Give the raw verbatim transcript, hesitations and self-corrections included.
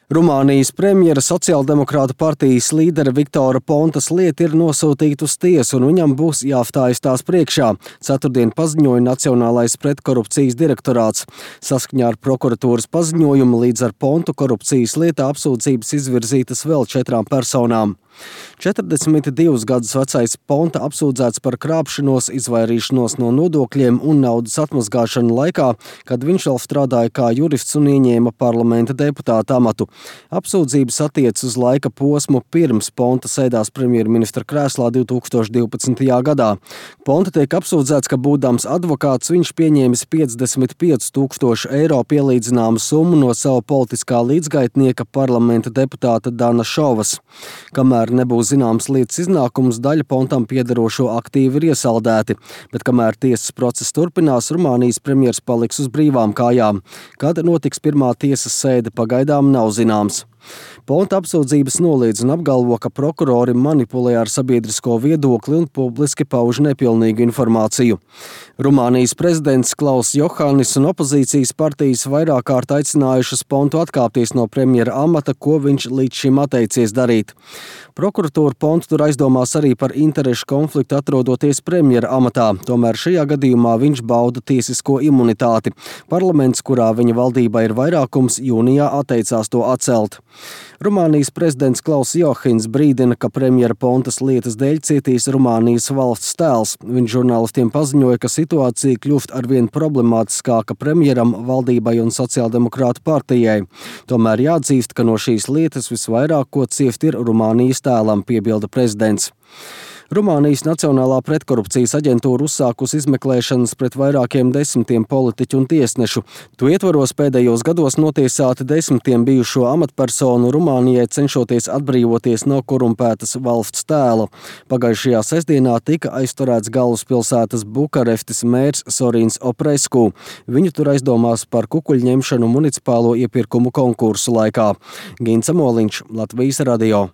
Rumānijas premjera sociāldemokrātu partijas līdera Viktora Pontas lieta ir nosūtīta uz tiesu, un viņam būs jāstājas tās priekšā. Ceturtdien paziņoja Nacionālais pretkorupcijas direktorāts. Saskaņā ar prokuratūras paziņojumu līdz ar Pontu korupcijas lietā apsūdzības izvirzītas vēl četrām personām. četrdesmit divus gadus vecais Ponta apsūdzēts par krāpšanos, izvairīšanos no nodokļiem un naudas atmazgāšanu laikā, kad viņš vēl strādāja kā jurists un ieņēma parlamenta deputāta amatu. Apsūdzības attiec uz laika posmu pirms Ponta sēdās premjerministra krēslā divi tūkstoši divpadsmitajā gadā. Ponta tiek apsūdzēts, ka būdams advokāts viņš pieņēmis piecdesmit pieci tūkstoši eiro pielīdzināmu summu no sava politiskā līdzgaitnieka parlamenta deputāta Dana Šovas. Kamēr nebūs zināms lietas iznākums, daļa Pontam piederošo aktīvi ir iesaldēti, bet kamēr tiesas process turpinās, Rumānijas premjers paliks uz brīvām kājām. Kad notiks pirmā tiesas sēde, pagaidām nav zināms. Ponta apsūdzības noliedz un apgalvo, ka prokurori manipulē ar sabiedrisko viedokli un publiski pauž nepilnīgu informāciju. Rumānijas prezidents Klauss Johānis un opozīcijas partijas vairāk kārt aicinājušas Pontu atkāpties no premjera amata, ko viņš līdz šim atteicies darīt. Prokuratūra Pontu tur aizdomās arī par interešu konfliktu atrodoties premjera amatā, tomēr šajā gadījumā viņš bauda tiesisko imunitāti. Parlaments, kurā viņa valdībā ir vairākums, jūnijā atteicās to atcelt. Rumānijas prezidents Klauss Johāns brīdina, ka premjera Pontas lietas dēļ cietīs Rumānijas valsts tēls. Viņš žurnālistiem paziņoja, ka situācija kļūst arvien problemātiskāka premjeram, valdībai un sociāldemokrātu partijai. Tomēr jāatzīst, ka no šīs lietas visvairāk ko ciest ir Rumānijas tēlam, piebilda prezidents. Rumānijas Nacionālā pretkorupcijas aģentūra uzsākusi izmeklēšanas pret vairākiem desmitiem politiķu un tiesnešu. To ietvaros pēdējos gados notiesāti desmitiem bijušo amatpersonu Rumānijai, cenšoties atbrīvoties no korumpētas valsts tēla. Pagājušajā sestdienā tika aizturēts galvaspilsētas Bukarestes mērs Sorins Opresku. Viņu tur aizdomās par kukuļņemšanu municipālo iepirkumu konkursu laikā. Gints Amoliņš, Latvijas radio.